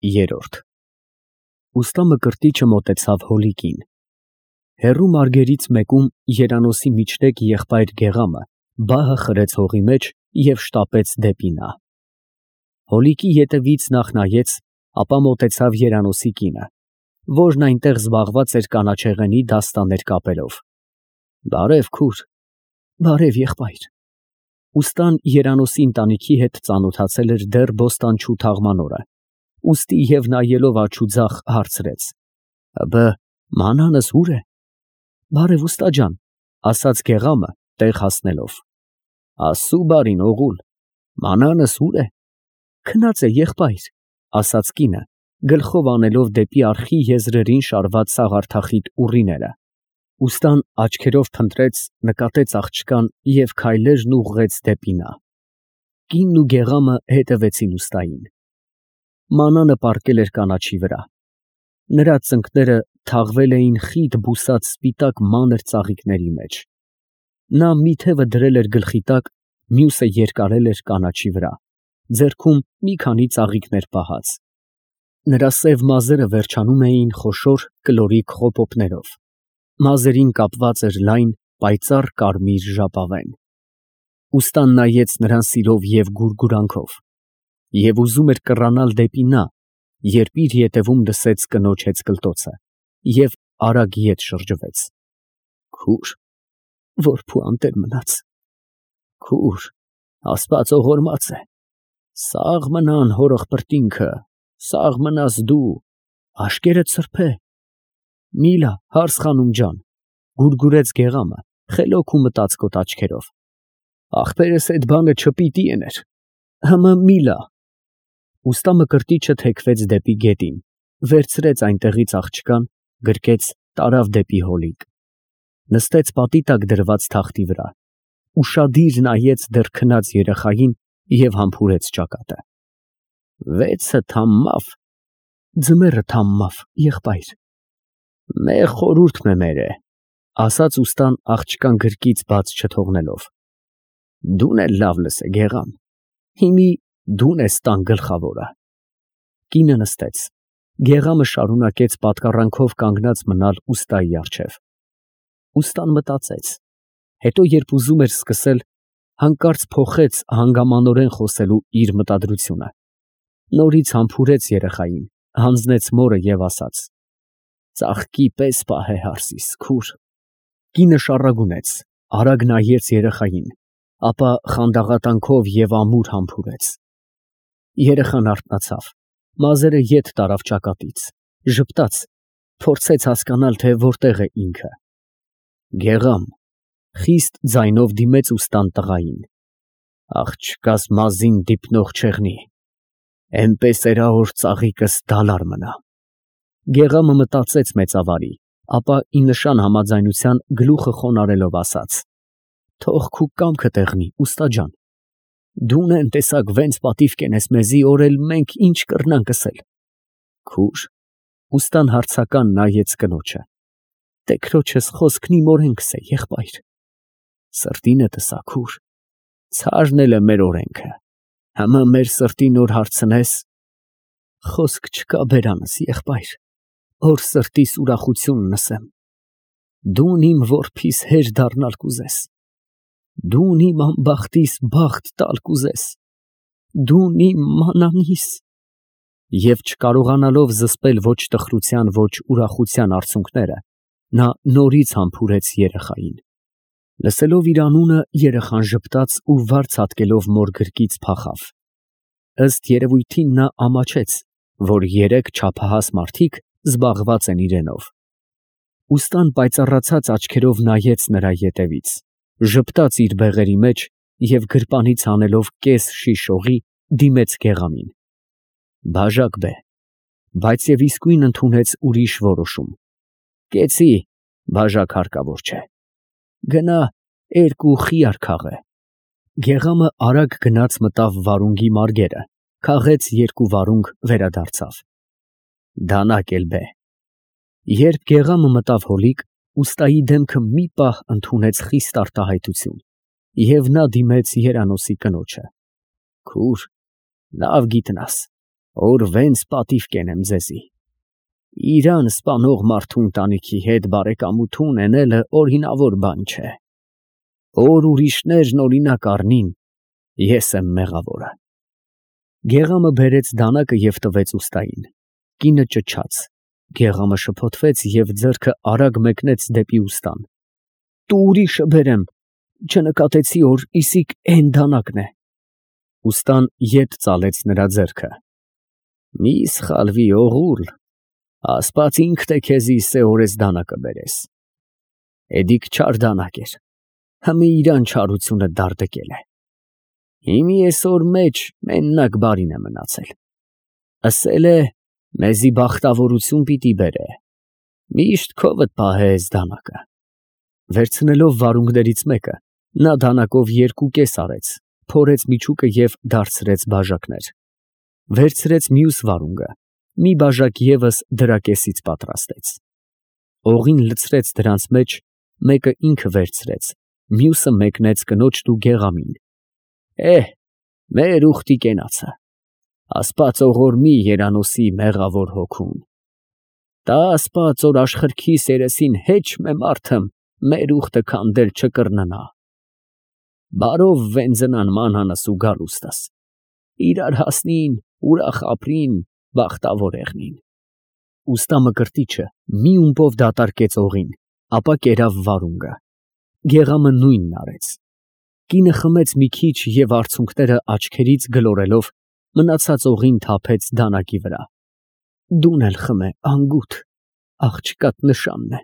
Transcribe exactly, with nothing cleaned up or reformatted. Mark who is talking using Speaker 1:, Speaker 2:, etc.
Speaker 1: Երորդ Ուստա Մկրտիչը մոտեցավ հոլիկին. հեռու մարգերից մեկում երանոցի միջտեկ եղբայր Գեղամը բահը խրեց հողի մեջ և շտապեց դեպի նա. հոլիկի ետևից նախ նայեց, ապա մոտեցավ երանոցի կինը, որն այնտեղ զբաղված էր կանաչեղենի դաստաներ կապելով. Բարև քուր, բարև եղբայր. ուստան երանոցի ընտանիքի հետ ծանոթացել էր դեռ բոստանչու թաղման օրը, ուստի և նայելով աջ ու ձախ հարցրեց. ֊ Մանանս ո՞ւր է։ ֊ Բարև ուստա ջան, ֊ ասաց Գեղամը տեղ հասնելով։ ֊ Աստծու բարին, օղուլ, մանանս ո՞ւր է։ ֊ Քնած է, եղբայր, ֊ ասաց կինը, գլխով անելով դեպի արխի եզրերին շարված սաղարթախիտ ուռիները, ուստան աչքերով փնտրեց, նկատեց աղջկան և քայլերն ուղղեց դեպի նա. կինն ու Գեղամը հետևեցին ուստային. մանանը պառկել էր կանաչի վրա, նրա ծնկները թաղվել էին խիտ բուսած սպիտակ մանր ծաղիկների մեջ, նա մի թևը դրել էր գլխի տակ, մյուսը երկարել էր կանաչի վրա, ձեռքում մի քանի ծաղիկներ պահած, նրա սև մազերը վերջանում էին խոշոր կլորիկ խոպոպներով, մազերին կապված էր լայն պայծառ կարմիր ժապավեն, ուստան նայեց նրան սիրով և գուրգուրանքով և ուզում էր կռանալ դեպի նա, երբ իր ետևում լսեց կնոջ հեծկլտոցը և արագ ետ շրջվեց. Քուր, որբու անտեր մնաց, քուր, Աստված ողորմած է, սաղ մնան հոր ըղբրտինքը, սաղ մնաս դու, աշկերտ սրբե, միլա հարս խանում ջան, գուրգուրեց Գեղամը խելոք ու մտածկոտ աչքերով, ախպերս էդ բանը չպիտի էներ, հըմը միլա։ Ուստա Մկրտիչը թեքվեց դեպի գետին, վերցրեց այնտեղից աղջկան, գրկեց, տարավ դեպի հոլիկ, նստեց պատի տակ դրված թախտի վրա, ուշադիր նայեց դեռ քնած երեխային և համբուրեց ճակատը. Վեցը թամմավ, ձմեռը թամմավ, եղբայր։ Մեղ խորհուրդ մեմեր է, ասաց ուստան աղջկան գրկից բաց չթողնելով, դուն էլ լավ լսե Գեղամ, հիմի դուն ես տան գլխավորը։ Կինը նստեց, Գեղամը շարունակեց պատկառանքով կանգնած մնալ ուստայի առջև, ուստան մտածեց, հետո երբ ուզում էր սկսել, հանկարծ փոխեց հանգամանորեն խոսելու իր մտադրությունը, նորից համբուրեց երեխային, հանձնեց մորը և ասաց. ծաղկի պես պահե հարսիս, քուր։ Կինը շառագունեց, արագ նայեց երեխային, ապա խանդաղատանքով և ամուր համբուրեց, երեխան արթնացավ, մազերը ետ տարավ ճակատից, ժպտաց, փորձեց հասկանալ, թե որտեղ է ինքը։ Գեղամ, խիստ ձայնով դիմեց ուստան տղային, աղջկաս մազին դիպնող չեղնի, էնպես էրա որ ծաղիկս դալար մնա։ Գեղամը մտածեց մեծավարի, ապա ի նշան համաձայնության գլուխը խոնարհելով ասաց. թող քու կամքը տեղնի, ուստա ջան, դուն էն տեսակ վենց պատիվ կենես մեզի, որ էլ մենք ինչ կռնանք ասել։ Քուր, ուստան հարցական նայեց կնոջը, տեքրոջս խոսքն իմ օրենքս է, եղբայր։ Սրտինդ ըսա, քուր, ցարն էլ է մեր օրենքը, հըմը մեր սրտին որ հարցնես, խոսք չկա բերանս, եղբայր, որ սրտիս ուրախությունն ասեմ, դուն իմ որբիս հեր դառնալ կուզես, դուն իմ անբախտիս բախտ տալ կուզես, դուն իմ մանանիս։ Եվ չկարողանալով զսպել ոչ տխրության, ոչ ուրախության արցունքները, նա նորից համբուրեց երեխային, լսելով իր անունը, երեխան ժպտաց ու վարձ հատկելով մոր գրկից փախավ, ըստ երևույթին նա ամաչեց, որ երեք չափահաս մարդիկ զբաղված են իրենով, ուստան պայծառացած աչքերով նայեց նրա ետևից, ժպտաց իր բեղերի մեջ և գրպանից հանելով կես շիշ օղի, դիմեց Գեղամին. բաժակ բե, բայց և իսկույն ընդունեց ուրիշ որոշում. կեցի, բաժակ հարկավոր չէ, գնա երկու խիար քաղե։ Գեղամը արագ գնաց մտավ վարունգի մարգերը, քաղեց երկու վարունգ, վերադարձավ. դանակ էլ բե։ Երբ Գեղամը մտավ հոլիկ, ուստայի դեմքը մի պահ ընդունեց խիստ արտահայտություն, և նա դիմեց երանոցի կնոջը. քուր, լավ գիտնաս, Օր վենց պատիվ կենեմ ձեզի։ Իրան սպանող մարդու ընտանիքի հետ բարեկամություն ունենալը օրինավոր բան չէ։ Որ ուրիշներն օրինակ առնին, ես եմ մեղավորը։ Գեղամը բերեց դանակը և տվեց ուստային։ Կինը ճչաց։ Գեղամը շփոթվեց և ձեռքը արագ մեկնեց դեպի ուստան։ Տու ուրիշը բերեմ, չնկատեցի, որ իսիկ էն դանակն է։ Ուստան ետ ծալեց նրա ձեռքը։ Մի սխալվի, օղուլ, ասպաց ինքդ է քեզի սեհորես դանակը բերես։ Էդիկ չար դանակ էր, հըմի իրան չարությունը դարդկել է։ Հիմի էսօր մեջ մեննակ բարին է մնացել։ Ասել է, մեզի բախտավորություն պիտի բերե, միշտ քովդ պահես դանակը։ Վերցնելով վարունգներից մեկը, նա դանակով երկու կես արեց, փորեց միջուկը և դարձրեց բաժակներ։ Վերցրեց մյուս վարունգը, մի բաժակ ևս դրա կեսից պատրաստեց։ Օղին լցրեց դրանց մեջ, մեկը ինքը վերցրեց, մյուսը մեկնեց կնոջն ու գեղամին։ Էհ, մեր ուխտի կենացը, ասպաց ողորմի երանոսի մեղավոր հոգուն։ Տա ասպաց, որ աշխրքիս երեսին հեչ մե մարդըմ մեր ուխտը քանդել չկրննա։ Բարով վենձնան մանանս ու գալուստս, իրար հասնին, ուրախ ապրին, բախտավոր եղնին։ Ուստա մկրտիչը մի ումպով դատարկեց օղին, ապա կերավ վարունգը։ Գեղամը նույնն արեց։ Կինը խմեց մի քիչ և արցունքները աչքերից գլորելով, մնացած օղին թափեց դանակի վրա։ Դուն էլ խմե, անգութ, աղջկադ նշանն է։